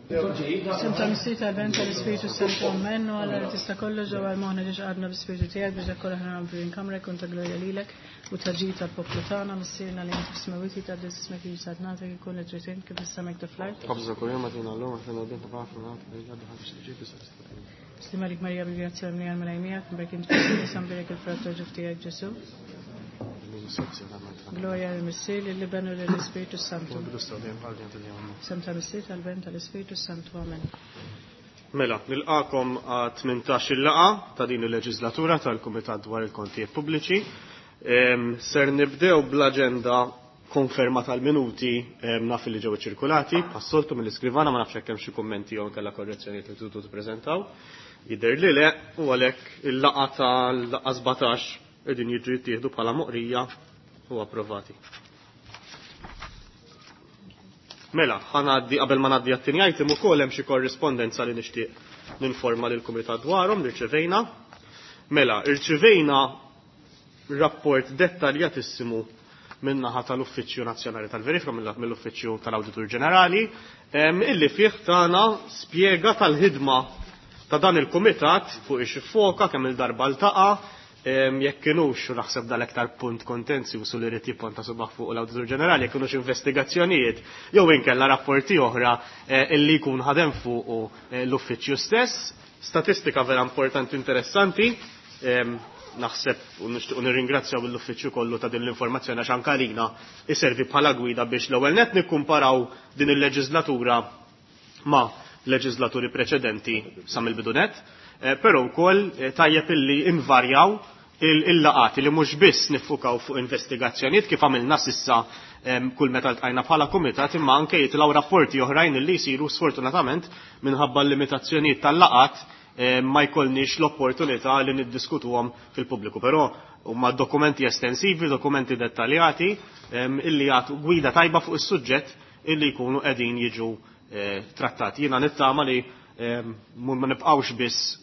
F'isem tal-Missier tal-Ben tal-Ispirtu Santu Amen u Alla li tista' kollox ġewwa l-moħħna ġiex għadna bl-Ispirtu tiegħek biex dak kollu aħna nagħmlu f'din kamra jkun ta' glorja lilek u ta' ġid tal-poplu tagħna Missierna li inti fis-smewwiet jitqaddes ismek jiġi saltnatek ikun li trid int kif fis-sema hekk fl-art. Ħobżna kuljum agħtina llum, aħfirna dnubietna bħalma aħna naħfru lil dawk li ġibu fis-sena. Slim għalik Marija bil-grazzja mimlija l-Mulej miegħek, mberk int fost in-nisa mbierek il-frott tal-ġuf tiegħek Ġesù. Glorja lill-Missier, lill-Iben u lill-Ispirtu Santu. Sem tal-Missier, tal-Ben, tal-Ispirtu Santu. Amen. Mela, nilqakom għat-18 il-laqa ta' din il-leġislatura tal-Kumitat dwar il-Kontijiet Pubbliċi. Ser nibdew bl-aġenda konferma tal-minuti naf li ġew ċirkulati, passoltu mill-iskrivana ma nafx hekk hemm xi kummenti jew inkella korrezzjonijiet li tridu tippreżentaw. Jidher li le, u għalhekk il-laqa tal-laqa 17 qegħdin jiġu jittieħdu bħala moqrija u approvati. Mela, ħanaddi qabel ma ngħaddi għat-tieni item ukoll hemm xi korrispondenza li nixtieq ninforma lil kumitat dwarhom li rċevejna. Mela, irċivejna rapport dettaljatissimu min-naħa tal-Uffiċċju Nazzjonali tal-Verifika mill-Uffiċċju tal-Awditur Ġenerali illi fih tagħna spjega tal-ħidma ta' dan il-kumitat fuq ix foka kemm il-darba ltaqa' jekk kienux, u naħseb dal-aktar punt kontenzju su li rrid jipponta subaħ fuq l-Awditur Ġenerali, jekk kienux investigazzjonijiet jew inkella rapporti oħra illi jkun ħadem fuq l-uffiċċju stess. Statistika vera importanti interessanti. Naħseb u nixtiequ nirringrazzjaw l-uffiċċju kollu ta' din l-informazzjoni għax anke għalina iservi bħala gwida biex l-ewwel nett nikkumparaw din il-leġislatura ma' leġislaturi preċedenti sa mill-bidu nett, però wkoll tajjeb illi invarjaw il-laqati li mhux biss niffukaw fuq investigazzjonijiet kif għamilna sissa kull meta ltqajna bħala kumitat imma anke jitilgħu rapporti oħrajn illi jsiru sfortunatament minħabba l-limitazzjonijiet tal-laqat ma jkollniex l-opportunità li niddiskutuhom fil-pubbliku. Però huma dokumenti estensivi, dokumenti dettaljati illi jagħtu gwida tajba fuq is-suġġett illi jkunu qegħdin jiġu trattati. Jiena nittama li ma nibqgħux biss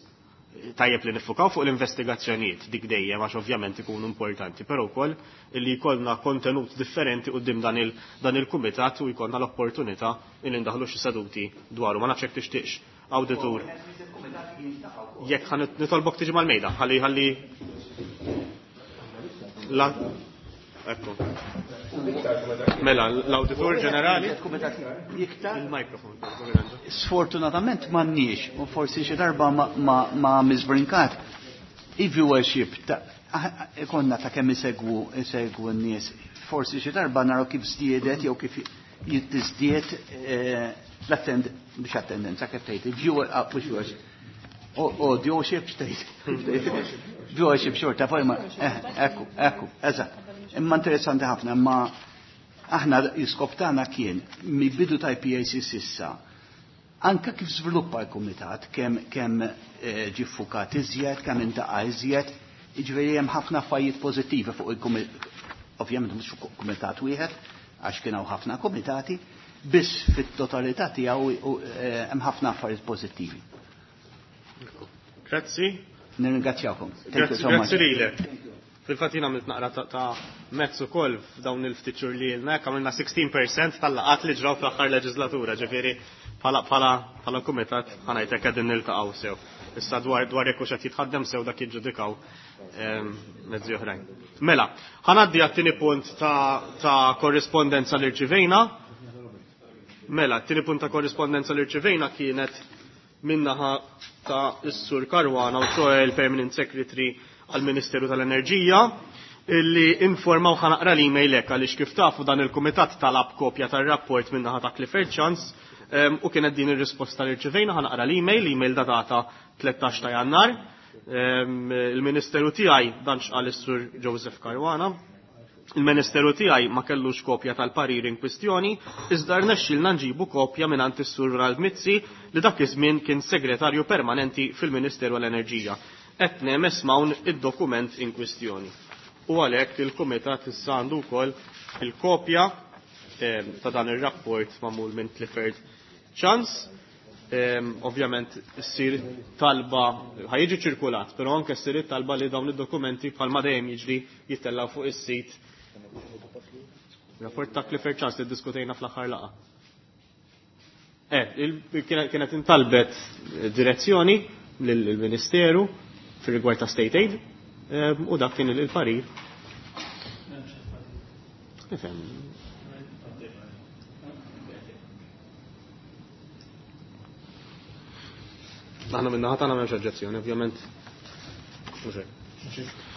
tajjeb li nifukaw fuq l-investigazzjonijiet dik dejjem għax ovvjament ikunu importanti, però wkoll illi jkollna kontenut differenti quddiem dan il-kumitat u jkollna l-opportunità illi ndaħlu xi seduti dwaru. Ma nafx jekk tixtieqx awditur. Jekk ħa nitolbok tiġi mal-mejda, ħalli ħalli la Ekku. Mela, l-Awditur Ġenerali. Il-mikrofon. Sfortunatament m'għandniex, u forsi xi darba ma' Ms. Brincat, i-viewership ta' ikonna ta' kemm isegwu isegwu n-nies. Forsi xi darba naraw kif żdiedet jew kif jittiżdied l-attend biex attendenza kif tgħid, viewer mhux viewership. Audioship x'tgħid. Viewership xorta, poi ma ekku, ekku, eżatt. Imma interessanti ħafna, imma aħna l-iskop tagħna kien mill-bidu ta' IPAC sissa anka kif żviluppa l-kumitat, kemm kemm ġie ffukat iżjed, kemm intaqa' iżjed, jiġifieri hemm ħafna affarijiet pożittivi fuq il-kumitat, ovvjament mhux fuq kumitat wieħed, għax kien hawn ħafna kumitati, biss fit-totalità tiegħu hemm ħafna affarijiet pożittivi. Grazzi. Nirringrazzjakom. Thank you so much. Grazzi lilek. Fil-fatt jien għamilt naqra ta' mezz ukoll f'dawn il-ftit xhur li ilna, hekk għamilna 16% tal-laqgħat li ġraw fl-aħħar leġislatura, ġifieri bħala kumitat ħa ngħidlek qegħdin niltaqgħu sew. Issa dwar dwar jekk hux qed jitħaddem sew dak jiġġudikaw mezzi oħrajn. Mela, ħa ngħaddi għat-tieni punt ta' korrispondenza li rċivejna. Mela, t-tieni punt ta' korrispondenza li rċivejna kienet min-naħa ta' is-Sur Caruana u ċoe il-Permanent Secretary għal-Ministeru tal-Enerġija illi informaw ħa naqra l-email hekk għaliex kif tafu dan il-kumitat talab kopja tar-rapport min-naħa ta' Clifford Chance u kienet din ir-risposta li rċivejna. Ħa naqra l-email, l-email datata 13 ta' Jannar. Il-Ministeru tiegħi dan x'qal is-Sur Joseph Caruana. Il-Ministeru tiegħi ma kellux kopja tal-parir in kwistjoni, iżda rnexxielna nġibu kopja mingħand is-Sur Ronald Mizzi li dak iż-żmien kien segretarju permanenti fil-Ministeru għall-Enerġija. Qed nehmes hawn id-dokument in kwistjoni. U għalhekk il-Kumitat issa għandu wkoll il-kopja ta' dan ir-rapport magħmul minn Clifford Chance. Ovvjament issir talba ħajjiġi ċirkulat, però anke ssir talba li dawn id-dokumenti bħalma dejjem jiġri jittellaw fuq is-sit. Rapport ta' Clifford Chance li ddiskutejna fl-aħħar laqgħa. Kienet intalbet direzzjoni lill-Ministeru fir-rigward ta' State Aid u dak kien il-parir. Nifhem. Aħna minna ħatana m'hemmx oġġezzjoni, ovvjament. Mhux hekk.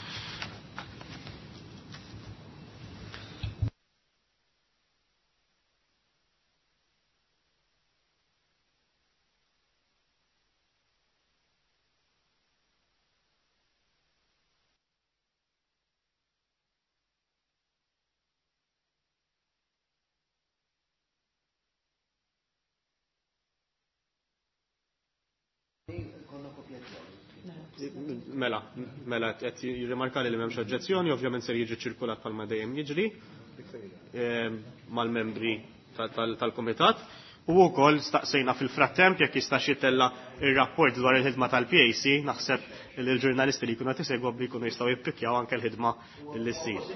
Mela, mela qed jirrimarka li m'hemmx oġġezzjoni, ovvjament ser jiġi ċirkulat bħalma dejjem jiġri mal-membri tal-kumitat. U wkoll staqsejna fil-frattemp jekk jista' jitella ir-rapport dwar il-ħidma tal-PAC, naħseb li l-ġurnalisti li jkunu qed isegwu li jkunu jistgħu jippikkjaw anke l-ħidma li ssir.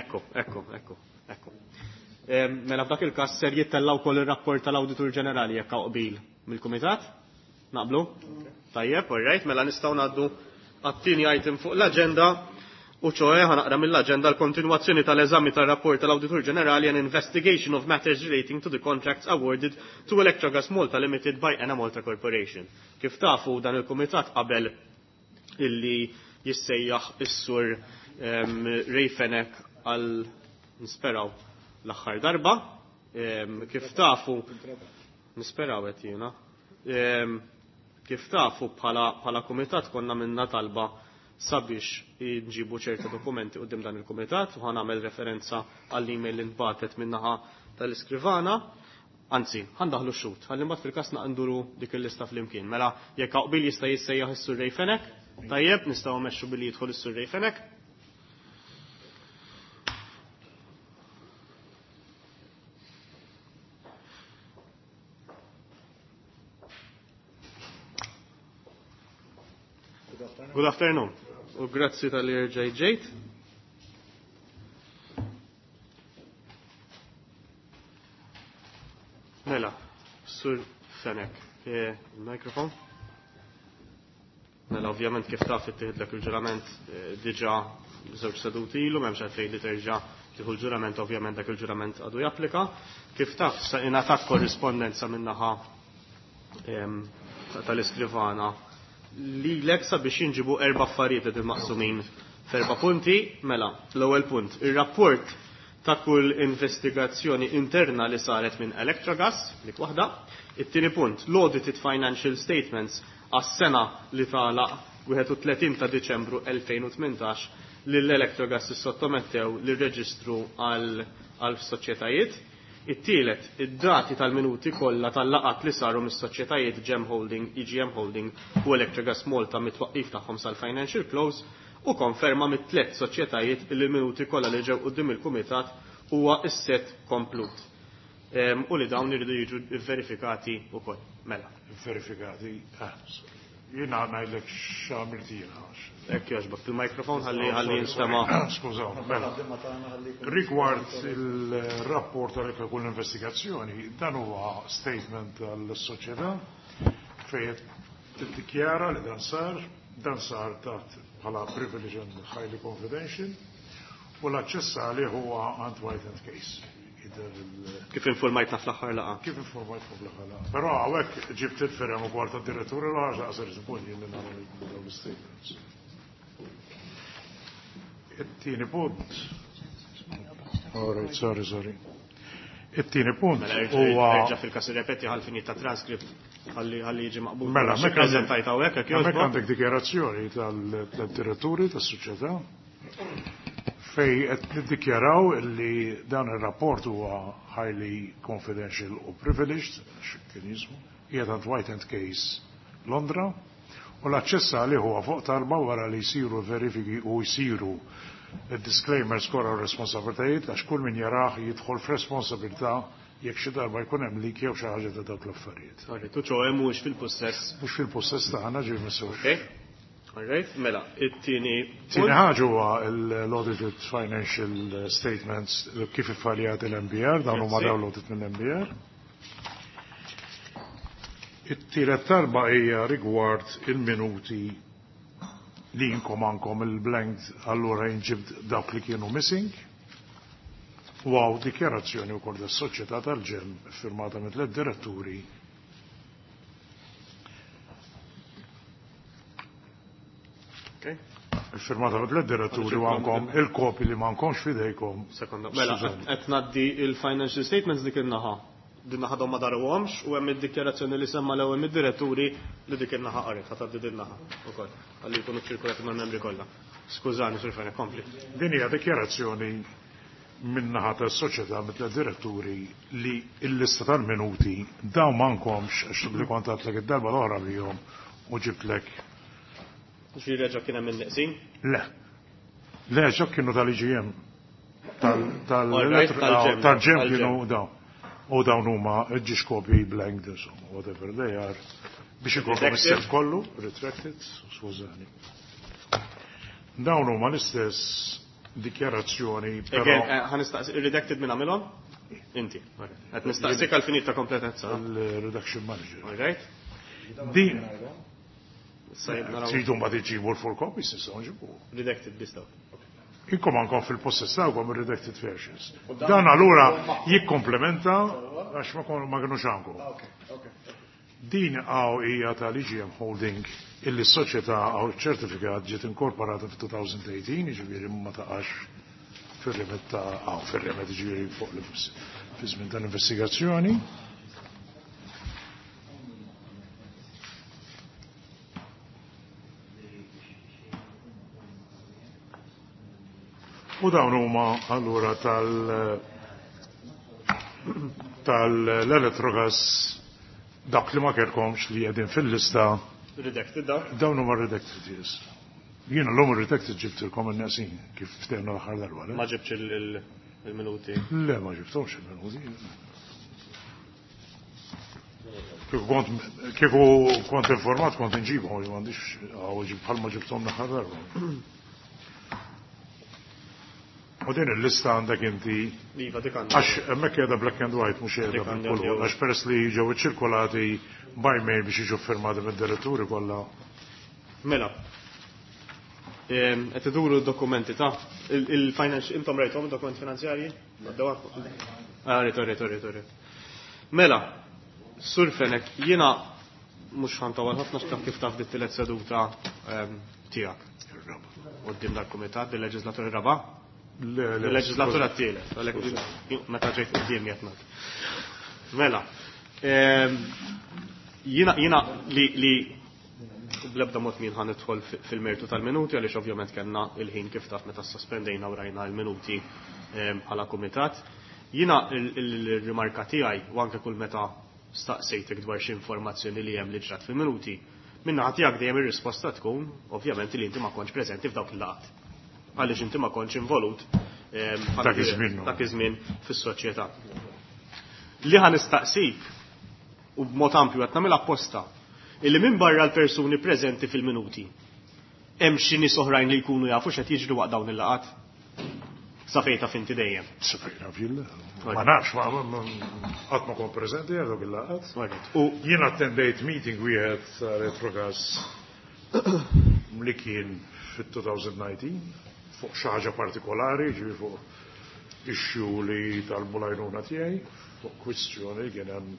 Ekku, ekku, ekku, ekku. Mela f'dak il-każ ser jittella wkoll ir-rapport tal-Awditur Ġenerali jekk hawn qbil mill-kumitat. Naqblu? Tajjeb, all right, mela nistgħu ngħaddu għat-tieni item fuq l-aġenda u ċoe ħanaqra mill-aġenda l-kontinwazzjoni tal-eżami tal-rapport tal-Awditur Ġenerali and investigation of matters relating to the contracts awarded to Electrogas Malta Limited by Enemalta Corporation. Kif tafu dan il-kumitat qabel illi jissejjaħ is-sur Ray Fenech għal nisperaw l-aħħar darba. Kif tafu nisperaw qed jiena. Kif tafu bħala kumitat konna minna talba sabiex nġibu ċerta dokumenti quddiem dan il-kumitat u ħanamel referenza għall-email li nbatet minnaħa tal-iskrivana. Anzi, ħandaħlu xut, ħalli mbagħad fil-każ naqnduru dik il-lista flimkien. Mela jekk qbil jista' jissejjaħ is-Sur Ray Fenech, tajjeb, nistgħu mmexxu billi jidħol is-Sur Ray Fenech. Good afternoon. U grazzi tal-li rġajt ġejt. Mela, Sur Fenech, il-mikrofon. Mela, ovvjament kif taf ittieħdlek il-ġurament diġà żewġ seduti ilu, m'hemmx għalfejn li terġa' tieħu l-ġurament, ovvjament dak il-ġurament għadu japplika. Kif taf sa ingħatat korrispondenza min-naħa tal-iskrivana lilek sabiex jinġibu erba' affarijiet li maqsumin f'erba' punti. Mela, l-ewwel punt, ir-rapport ta' kull investigazzjoni interna li saret minn Electrogas, dik waħda. It-tieni punt, l-audited financial statements għas-sena li tagħlaq 31 ta' Diċembru 2018 li l-Electrogas sottomettew lir-reġistru għal soċjetajiet. It-tielet, id-dati tal-minuti kollha tal-laqat li saru mis-soċjetajiet GEM Holding, EGM Holding u Electrogas Malta mit-twaqqif tagħhom sal-financial close u konferma mit-tliet soċjetajiet li l-minuti kollha li ġew quddiem il-kumitat huwa s-set komplut. U li dawn iridu jiġu verifikati wkoll. Mela. Verifikati. Jiena ngħidlek x'għamilt jiena. Hekk jogħġbok il-mikrofon ħalli ħalli jinstema'. Skużaw, mela. Rigward il-rapport tal kull investigazzjoni, dan huwa statement tal-soċjetà fejn tiddikjara li dan sar taħt bħala privilege and highly confidential u l-aċċess għalih huwa għand White and Case. Kif informajtna fl-aħħar laqgħa? Kif informajtna fl-aħħar laqgħa. Però hawnhekk ġibt il-firem ukoll tad-diretturi l-ħaġa qasir żbun jien li nagħmel dawn l-statements. It-tieni punt. All right, sorry, sorry. It-tieni punt huwa Erġa' fil-każ irrepeti ħal-fini ta' transcript ħalli jiġi maqbul. Mela, Xi preżentajt hawnhekk hekk hemmhekk jogħġbok? għandek dikjarazzjoni tal-diretturi tas-soċjetà fej qed niddikjaraw li dan ir-rapport huwa highly confidential u privileged, x'kien jismu, qiegħed għand White and Case Londra, u l-aċċess għalih huwa fuq talba wara li jsiru verifiki u jsiru disclaimers kollha u responsabilitajiet għax kull min jarah jidħol f'responsabilità jekk xi darba jkun hemm lik jew xi ħaġa ta' dawk l-affarijiet. All right, u ċoe mhuwiex fil-pussess. Mhux fil-pussess tagħna ġie missux. Okay. All right, mela, it-tieni Tieni ħaġa huwa l-audited financial statements kif iffaljat il-MBR, dawn huma Grazzi. downloaded mill-MBR. It-tielet talba hija rigward il-minuti li jinkom għandkom il-blank, allura jinġib dawk li kienu missing. U għaw dikjarazzjoni wkoll tas-soċjetà tal-ġem firmata mit tliet diretturi. Okay. Firmata mit tliet diretturi u għandkom il-kopi li m'għandkomx fidejkom. Sekonda. Mela, qed ngħaddi il-financial statements dik in-naħa. Din naħa ma daruhomx u hemm id-dikjarazzjoni li semma l-ewwel mid-diretturi li dik in-naħa qaret, ħa tgħaddi din naħa ukoll ħalli jkunu ċirkulati mal-membri kollha. Skużani, Sur Fenech, kompli. Din hija dikjarazzjoni min-naħa tas-soċjetà mit diretturi li l-lista tal-minuti dawn m'għandkomx għax li kont għadtlek id-darba l-oħra bihom u ġibtlek. Ġifieri reġa' kien hemm in-neqsin? Le. Le, ġok kienu tal-IGM. Tal-ġem kienu dawn. U dawn huma ġiex kopji blank, whatever they are. Biex ikollhom is-set kollu, retracted, skużani. Dawn huma l-istess dikjarazzjoni, però. Ħa nistaqsi, redacted minn għamilhom? Inti. Qed nistaqsik għal finit ta' kompletezza. Il-redaction manager. All right. Din. Tridu mbagħad iġibu l-full copies, nistgħu nġibu. Redacted biss dawn. Inkom għandkom fil-possess tagħkom ir-redacted versions. Dan allura jikkomplementa għax ma kinux għandkom. Din għaw hija tal-IGM Holding illi s-soċjetà għaw ċertifikat ġiet inkorporata fi-2018, jiġifieri ma taqax fir-remet ta' għaw fir-remet jiġifieri fuq fi żmien tal-investigazzjoni. U dawn huma allura tal-Electrogas dak li ma kellkomx li qegħdin fil-lista. Redacted dawn? Dawn huma redacted, yes. Jiena l-lum redacted ġibtilkom in-neqsin kif ftehna l-aħħar darba. Ma ġibtx il-minuti? Le, ma ġibthomx il-minuti. Kieku kont informat kont inġibhom, li m'għandix għaw ġib bħalma ġibthom l-aħħar darba. U din il-lista għandek inti. Iva, dik għandek. Għax hemmhekk qiegħda black and white mhux qiegħda bil-kulur, għax peress li ġew iċċirkolati by mail biex jiġu firmati mid-diretturi kollha. Mela. Qed iduru d-dokumenti ta' il-finance intom rajthom id-dokumenti finanzjarji? Ah, rrit, rrit, rrit, rrit. Mela, Sur Fenech, jiena mhux ħantawal ħafna x'taf kif taf dit tielet seduta tiegħek. Quddiem dal-kumitat, il-leġislatura raba'? Il-leġislatura t-tielet, għalhekk meta ġejt quddiem qed ngħid. Mela, jiena li bl-ebda mod min ħan nidħol fil-mertu tal-minuti għaliex ovvjament kellna il-ħin kif taf meta sospendejna u rajna l-minuti bħala kumitat. Jiena il-rimarka tiegħi u anke kull meta staqsejtek dwar xi informazzjoni li hemm li ġrat fil-minuti, minna tiegħek dejjem ir-risposta tkun ovvjament li inti ma kontx preżenti f'dawk il-laqgħat. Għaliex inti ma kontx involut dak iż-żmien dak iż-żmien fis-soċjetà. Li ħa nistaqsik u b'mod ampju qed nagħmel apposta illi minn barra l-persuni preżenti fil-minuti hemm xi nies oħrajn li jkunu jafu x'qed jiġri waqt dawn il-laqgħat? Sa fejn taf inti dejjem? Sa fejn naf jien le. Ma nafx, qatt ma kont preżenti għal dawk il-laqgħat. U jien attendejt meeting wieħed ta' Electrogas li kien fit-2019 fuq xi ħaġa partikolari, ġifieri fuq issue li talbu l-għajnuna tiegħi, fuq kwistjoni li kien hemm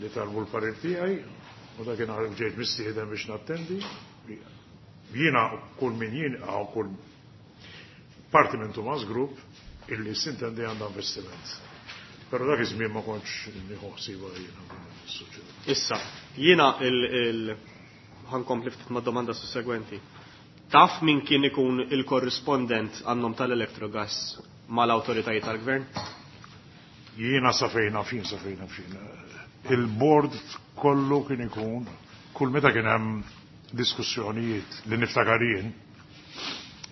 li talbu l-parir tiegħi, u dak kien ġejt mistieden biex nattendi. Jiena kull min jien għaw kull parti minn Tumas Group illi sintendi għandha investiment. Però dak iż-żmien ma kontx nieħu ħsiebha jiena fis-soċjetà. Issa, jiena ħankompli ftit ma' domanda sussegwenti. Taf min kien ikun il-korrispondent għannom tal-Electrogas mal-awtoritajiet tal-gvern? Jiena sa fejn naf, jien sa fejn naf jien. Il-board kollu kien ikun, kull meta kien hemm diskussjonijiet li niftakar jien,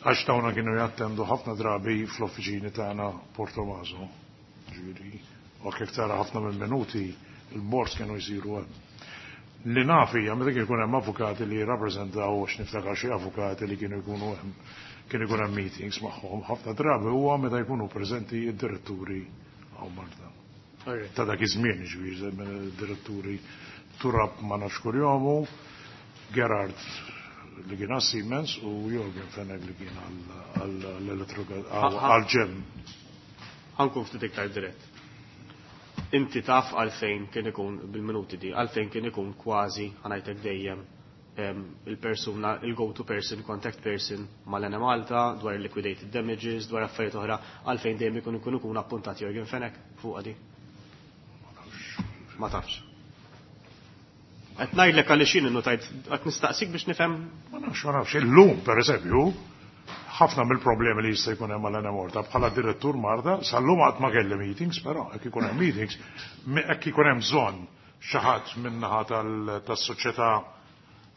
għax dawna kienu jattendu ħafna drabi fl-offiċini tagħna Portomaso. Ġifieri, u kif tara ħafna mill-minuti, il-boards kienu jsiru hemm. Li naf hija meta kien ikun hemm avukati li jirrappreżentaw għax niftakar xi avukati li kienu jkunu hemm, kien ikun hemm meetings magħhom, ħafna drabi huwa meta jkunu preżenti d-diretturi hawn Malta. Ta' dak iż-żmien, ġifieri, diretturi Turab ma nafx kurjomu, Gerard li kien għal Siemens u Jorgen Fenech li kien għal-ġem. Ħa nkun ftit iktar dirett. Inti taf għalfejn kien ikun bil-minuti di, għalfejn kien ikun kważi, ħa ngħidlek dejjem, il-persuna, il-go-to person, contact person mal-Enemalta, dwar liquidated damages, dwar affarijiet oħra, għalfejn dejjem ikun appuntat Jorgen Fenech fuq għadi? Ma tafx. Qed ngħidlek għaliex jien innotajt, qed nistaqsik biex nifhem. Ma nafx, ma nafx. Illum, per eżempju, ħafna mill-problemi li jista' jkun hemm mal-Enemalta bħala direttur Marta, sal-lum qatt ma kelli meetings, però hekk ikun hemm meetings, hekk ikun hemm bżonn xi ħadd min-naħa tas-soċjetà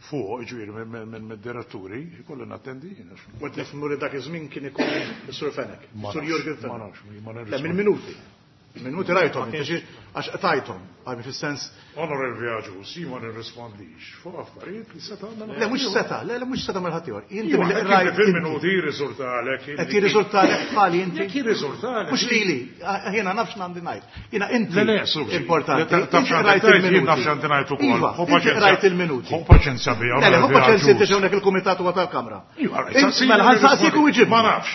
fuq, ġifieri minn diretturi, ikolli nattendi jien. U qed nifhmu li dak iż-żmien kien ikun is-Sur Fenech, Ma Sur nafx, Jurgen ma Fenech. nafx, ma Le, nirrispondi. mill-minuti. Minuti rajthom, inti għax qtajthom, għalmi fis-sens. Onorevoli Agius, jien ma nirrispondix fuq affarijiet li seta' għamel Le, mhux seta', le, le, mhux seta' mill ħaddieħor. Inti Iva, mill hekk rajt fil-minuti jirriżultalek. Qed jirriżultalek bħali inti. Jekk jirriżultalek. Mhux lili, jiena nafx għandi ngħid. Jiena inti. Le, le, suġi. Importanti. Le, taf Inti x'għandi rajt ngħid, jien il-minuti. naf x'għandi ngħid ukoll. Iva, Ħu inti paċenzja. rajt il-minuti. Ħu paċenzja bija, Le, le, ħu onorevoli paċenzja inti Agius. hawnhekk il-kumitat huwa tal-Kamra. Iva, rajt, Inti- saqsini Mela, ħa nsaqsik u nirrispondi. iġibni. Ma nafx.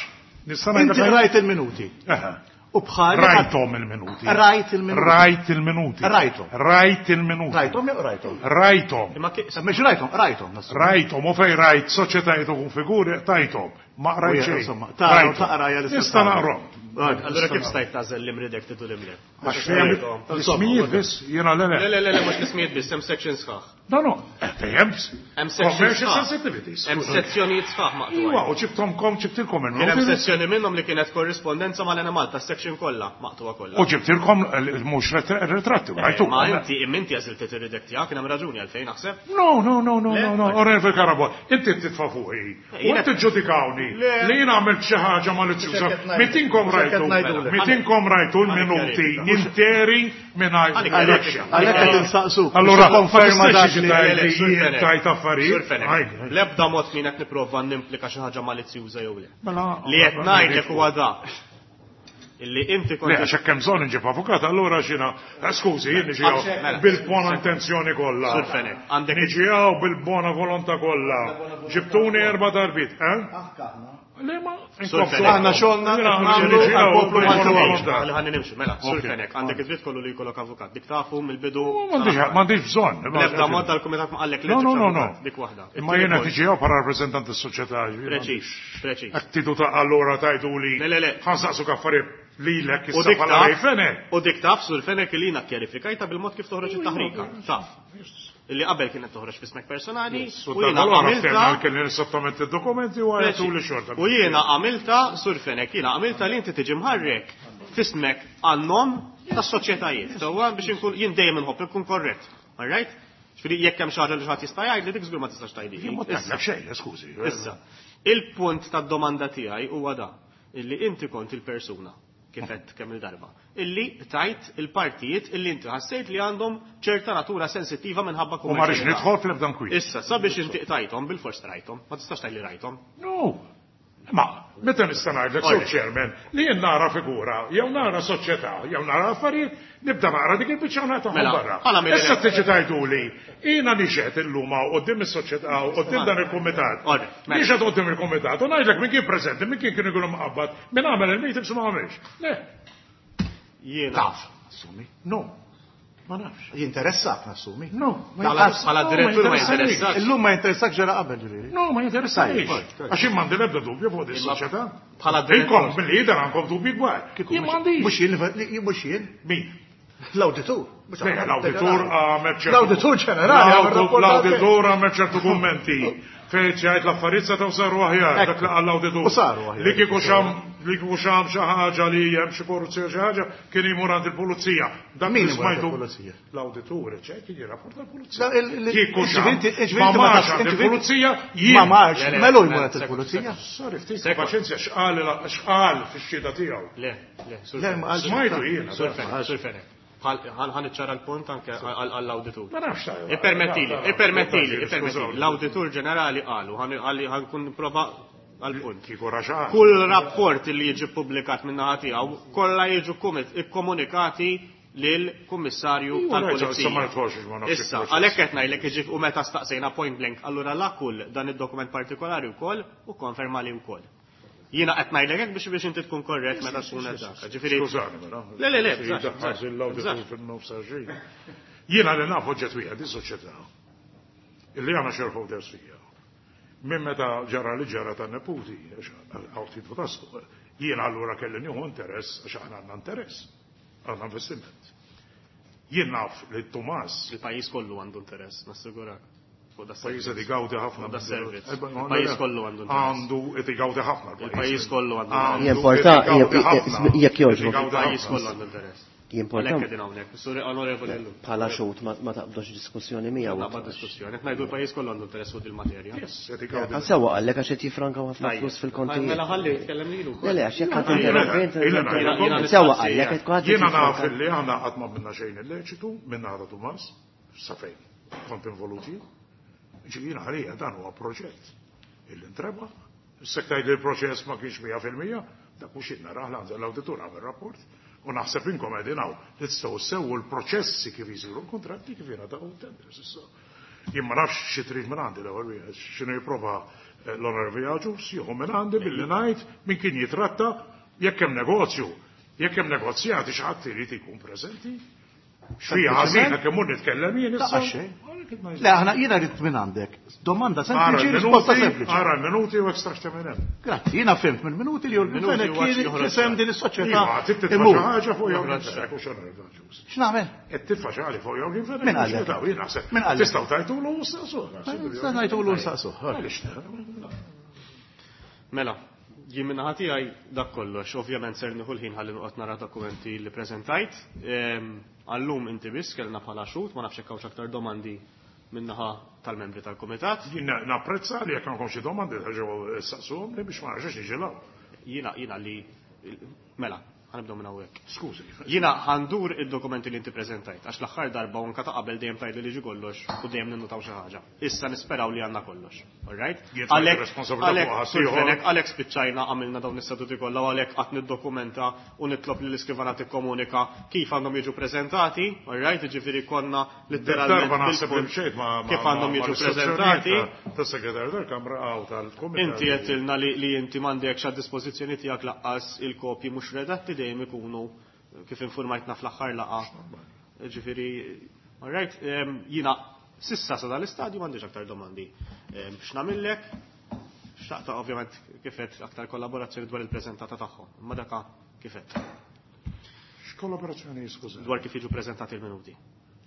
Nista' ngħidlek Inti ngħid? rajt il-minuti. Eħe. U bħal. Rajthom il-minuti. Rajt il-minuti. Rajt il-minuti. Rajthom. Rajt il-minuti. Rajthom jew rajthom? Rajthom. Imma ki- Mhux rajthom, rajthom. nassumi. Rajthom, u fej rajt soċjetajiet u figuri, tajthom. Ma rajt Uja, xejn. insomma, tara u Rajthom. taqra hija l-istess Nista' ħaġa. naqrom. Allura kif stajt tagħżel li mredacted u li mle? Għax fejn l-ismijiet biss, jiena le Le, le. le, le, le, mhux l-ismijiet biss, hemm section sħaħ. No, no, fejn Hemm section commercial sħaħ. sensitivities. Hemm sezzjonijiet sħaħ Iva, maqtugħin. u ġibtomkom, ġibtilkom Kien hemm il-minuti. sezzjoni minnhom li kienet korrispondenza mal-Enemalta, section kollha maqtugħa kollha. U ġibtilkom mhux ritratti, rajtu. Ma inti imma inti għażilt ir-redact tiegħek, kien hemm raġuni għalfejn naħseb. No, no, no, no, Le? no, no, Onorevoli Carabott, inti titfa' fuqi. U jiena- inti ġudikawni li jiena għamilt xi ħaġa malizzjuża. Mhux hekk qed ngħidu. Mitinkom Mhux hekk qed rajtu, ngħidulek. mitinkom rajtu l-minuti interi mingħajr Għalik- redaction. Għalhekk qed insaqsuk. Allura, biex tikkonferma ma dak tistax li- tgħid Le, le, li Sur jien Fenech. tajt affarijiet. Sur Fenech. Għaj, L-ebda mod min qed nipprova nimplika xi ħaġa malizzjuża jew le. Mela, Li qed ngħidlek huwa da. Illi inti kont Le, għax hekk hemm bżonn inġib avukat, allura xina, skużi, jien niġi hawn Mela. bil-buona intenzjoni kollha. Sur Fenech, għandek- Niġi hawn bil-buona volontà kollha. Ġibtuni erba' darbiet, eh? Le ma Sur Fenech. Aħna xogħolna Jiena nagħmlu niġi hawn għall-poplu bil-buona Malti u Għawdex. volontà. Ħalli ħalli nimxu, mela, Sur Ok. Fenech, għandek id-dritt kollu li jkollok avukat. Dik tafu mill-bidu. M'għandix bżonn. L-ebda mod tal-kumitat ma qallek li No, no, ġibx no, no. avukat, Dik waħda. Imma jiena tiġi hawn bħala rappreżentant tas-soċjetà. Preċiż, preċiż. Hekk tidu ta' allura tajdu li. Le, le, le. Ħa nsaqsuk affarijiet lilek U issa dik bħala Ray taf, Fenech. u dik taf Sur Fenech li jiena kjarifikajta bil-mod kif toħroġ it-taħrika. Taf. Illi qabel kienet toħroġ f'ismek personali U u jiena allura għamilta ftehmna kelli nissottometti d-dokumenti u għajtu li xorta. U jiena għamilta, Sur Fenech, jiena għamilta li inti tiġi mħarrek f'ismek għan-nom tas-soċjetajiet. Sewwa biex inkun jien dejjem inħobb inkun korrett. All right? Ġifieri jekk hemm xi ħaġa li xi ħadd jista' jgħid li dik żgur ma tistax tgħidili. Jien ma tgħidlek xejn, skużi. Issa, il-punt tad-domanda tiegħi huwa da, illi inti kont il-persuna kif għedt kemm il-darba, illi tajt il-partijiet illi inti ħassejt li għandhom ċerta natura sensittiva minħabba U ma rridx kummerċjalità. nidħol fl-ebda nkwiet. Issa, sabiex inti tajthom bil-fors rajthom, ma tistax tgħid li rajthom. No. Ma, meta nista' ngħidlek sur Alright. chairman li jien nara figura, jew nara soċjetà, jew nara affarijiet, nibda naqra dik il-biċċa u nagħtahom Mela, barra. għala mill- Issa tiġi tgħiduli, jiena nixhed illum hawn quddiem is-soċjetà u quddiem dan il-kumitat. Alright, mela. Nixhed quddiem il-kumitat u ngħidlek min kien preżenti, min kien kienu jkunu mqabbad, min għamel il-meetings u ma għamilx. Le, Jiena. Taf, assumi. no. Ma nafx. Jinteressak, nassumi. No, ma Bħala jinteressa- bħala no, direttur ma jinteressanix. jinteressak. Illum ma jinteressak ġara qabel ġifieri. No, ma jinteressanix. Tajjeb, Għax jien m'għandi l-ebda dubju fuq di soċjetà. Bħala direttur. Inkom mill-lider għandkom dubji kbar. Jien m'għandix. Mhux jien, mhux jien. Min? L-awditur. Mhux Le, aħna. L-awditur għamel ċertu. L-awditur ġenerali għamel rapport L-awditur għamel ċertu kummenti. Fejn ċajt l-affarijiet setgħu saru aħjar, Ekku. dak li qal l-awditur. U saru aħjar. Li kieku xam li kieku xam xi ħaġa li hemm xi korruzzjoni xi ħaġa kien imur għand il-pulizija. Dak Min li imur għand smajtu. il-pulizija? L-awditur, ċe kien jirrapporta l-pulizija. La, Kieku xam. ġifieri Ma inti ma marx tafx- għand ġifieri- il-pulizija jien. Ma marx, Le, le, melu le, jmur għand sekond, il-pulizija. Sorry, ftit Sekond. paċenzja x'qal x'qal fix-xhieda tiegħu. Le, le, Sur Le, Fenech. ma qalx. Smajtu jiena. Sur Fenech, Sur Fenech. Ħan iċċara l-punt anke għall-awditur. Ma nafx tajba. Ippermettili, ippermettili, ippermettili. L-awditur ġenerali qalu, ħa nkun prova għal-punt. Kieku raxaq. Kull rapport li jiġi publikat minn naħa tiegħu kollha jiġu ikkomunikati lill-Kummissarju Iva, tal-Pulizija. issa ma nidħolx ma nafx Issa, il-proċess. għalhekk qed ngħidlek iġif u meta staqsejna point blank, allura la kull dan id-dokument partikolari wkoll u konferma li wkoll. Jiena qed ngħidlek hekk biex inti tkun korrett meta tkun qed dak. Ġifieri Skużani, mela. Le, le, le, Xi bżax, daħħal bżax, l-awditur bżax. fin-nofs għaxin. Jiena li naf oġġett wieħed, is-soċjetà. Illi għandna shareholders fija. Minn meta ġara li ġara ta' neputi, għax għaw ftit taslu, jiena allura kelli nieħu interess għax aħna għandna interess, għandna investiment. Jien naf li Tomas il-pajjiż kollu għandu interess, nassigurak. Fuq da pajjiż servizz. qed igawdi ħafna. Da servizz. Eh, Il-pajjiż kollu għandu interess. Għandu qed igawdi ħafna Il-pajjiż kollu għandu Għandu Jimporta- qed igawdi ħafna. jekk jogħġbok. Qed igawdi Il-pajjiż ħafna. kollu għandu interess. Jimporta Għalhekk qegħdin hawnhekk. Sur onorevoli Ellul. bħala xut ma taqbdux diskussjoni miegħu. Naqbad diskussjoni. Qed ngħidu l-pajjiż kollu għandu interess fuq il-materja. Yes, qed igawdi. Għal sewwa qallek għax qed jifrankaw ħafna flus fil-kontijiet. Mela ħalli jitkellem lilu Le, le, għax jekk ħadd Jiena- interrompi, jiena- interrompi. jiena- Sewwa qallek qed kulħadd Jiena naf jifranka. li aħna qatt ma minna xejn illeċitu minn għada Tumas, sa fejn kont involuti. Ġifieri għalija dan huwa proġett illi ntreba. Issa tgħid li l-proċess ma kienx 100%, dak mhux jien narah l-awditur għamel rapport. U naħseb inkom qegħdin hawn li tistgħu sewwu l-proċessi kif jisiru l-kontratti kif jingħataw tenders issa. Jien ma nafx xi trid minn għandi l-ewwel wieħed, x'inhu jipprova l-onorevoli Agius jieħu minn għandi billi ngħid min kien jitratta jekk hemm negozju, jekk hemm negozjati xi ħadd irid ikun preżenti. Xfija ħażina kemm hu nitkellem jien issa. Taqax xejn. Le, aħna jiena rrid minn għandek. Domanda Ara sempliċi, risposta l-minuti, sempliċi. ara l-minuti u ekstrax minn hemm. Grazzi, jiena fhimt mill-minuti li Yorgen Minuti Fenech u għax kien joħroġ isem din is-soċjetà. Iva, trid titfa' imur. xi ħaġa fuq Yorgen Fenech u x'onorevoli Agius. X'nagħmel? Qed titfa' xi ħaġa fuq Yorgen Fenech. Min qallek? Jien naħseb. Min qallek? Tistgħu tajtulu u staqsuh. Sa ngħidulu nsaqsuh. Għaliex le? Mela, jien minn naħa tiegħi dak kollox, ovvjament ser nieħu l-ħin ħalli noqgħod nara dokumenti li preżentajt. Għallum inti biss kellna bħala xhud, ma nafx hekk hawnx aktar domandi min-naħa tal-membri tal-kumitat. Jien napprezza li jekk għandkom xi domandi terġgħu saqsuhom li biex ma nerġax niġi l Jiena jiena li mela, ħanibdew minn hawnhekk. Skużi. Jiena ħandur id-dokumenti li inti preżentajt, għax l-aħħar darba u anka ta' qabel dejjem tgħidli li ġi kollox u dejjem ninnutaw xi ħaġa. Issa nisperaw li għandna kollox. All right? Jien tfajt ir-responsabilità Għalhekk fuq ħadd Sur ieħor. Fenech, għalhekk spiċċajna għamilna dawn is-seduti kollha u għalhekk qatt niddokumenta u nitlob li l-iskrivana tikkomunika kif għandhom jiġu preżentati, all right? Jiġifieri konna letteralment Darba naħseb li bil-punt mxejt ma' kif għandhom jiġu preżentati. Tas-segretarju tal-Kamra għaw tal-Kumitat. Inti għedtilna li inti m'għandekx għad dispożizzjoni tiegħek laqqas il-kopji mhux redatti dejjem ikunu kif informajtna fl-aħħar laqgħa. Ġifieri, all right, jiena sissa sa dal-istadju m'għandix aktar domandi. X'nagħmillek? Xtaqta ovvjament kifet aktar kollaborazzjoni dwar il-preżentata tagħhom. Imma daka kifet X'kollaborazzjoni skuża? dwar kif jiġu preżentati l-minuti.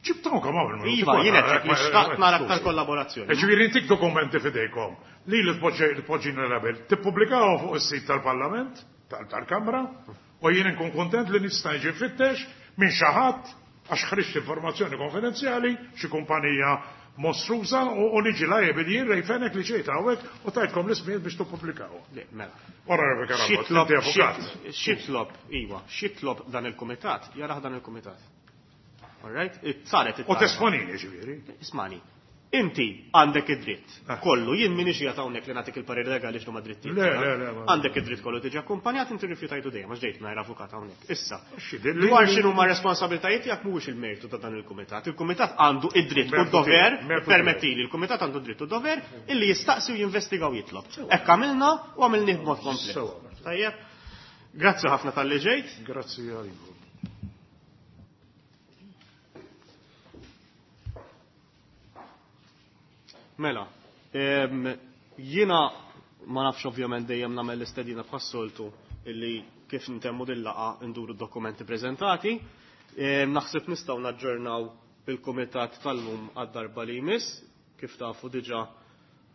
Ġibtahom kemm hawn il-minuti. Iva, kollha, jien qed li xtaqt nara aktar skużi. kollaborazzjoni. Ġifieri intik dokumenti fidejkom li li tpoġġina label, tippubblikaw fuq is-sit tal-Parlament, tal-Kamra, u jien inkun kontent li nista' niġi nfittex minn xi ħadd għax ħriġt informazzjoni konfidenzjali xi kumpanija mostruża u niġi liable jien Ray Fenech li ġejt hawnhekk u tajtkom l-ismijiet biex tippubblikaw. Le, mela. Ora Rebecca Rambot, Xitlob, inti avukat. xitlob, iwa, xitlob dan il-komitat, jaraħ dan il-komitat. All right? Saret U it-talba. tesponini ġifieri. Ismani, inti għandek id-dritt. Ah. Kollu, jien minix qiegħed hawnhekk li nagħtik il-parir legali x'huma drittijiet. Le, le, le, ma- Għandek id-dritt kollu tiġi akkumpanjat, inti rrifjutajtu dejjem għax ġejt mingħajr avukat hawnhekk. Issa, Xi dilli- dwar x'inhu ma responsabilitajiet tiegħek mhuwiex il-mertu ta' dan il-kumitat. Il-kumitat għandu id-dritt u Mertu d-dover, tiegħek, mertu permettili, il-kumitat għandu d-dritt u dover illi jistaqsi u jinvestiga u jitlob. Hekk għamilna u għamilnih b'mod komplet. Sewa. Tajjeb. Grazzi ħafna talli ġejt. Grazzi għalikom. Mela, jiena ma nafx ovvjament dejjem nagħmel l-istedina bħas-soltu illi kif ntemmu din-laqgħa nduru d-dokumenti preżentati. Naħseb nistgħu naġġornaw il-kumitat tal-lum għad-darba li jmiss, kif tafu diġà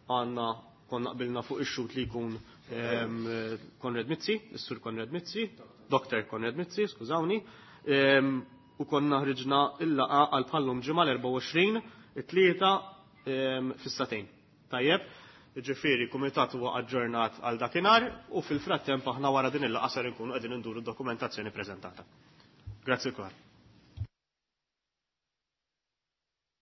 għandna konna qbilna fuq ix-xut li jkun Konrad Mizzi, is-Sur Konrad Mizzi, Dr. Konrad Mizzi, skużawni, u konna ħriġna il-laqgħa għal bħallum ġimgħa l-24, it-tlieta fis-satejn. Tajjeb, ġifieri kumitat huwa aġġornat għal dakinhar u fil-frattemp aħna wara din il-laqgħa ser inkunu qegħdin induru d-dokumentazzjoni preżentata. Grazzi kulħadd.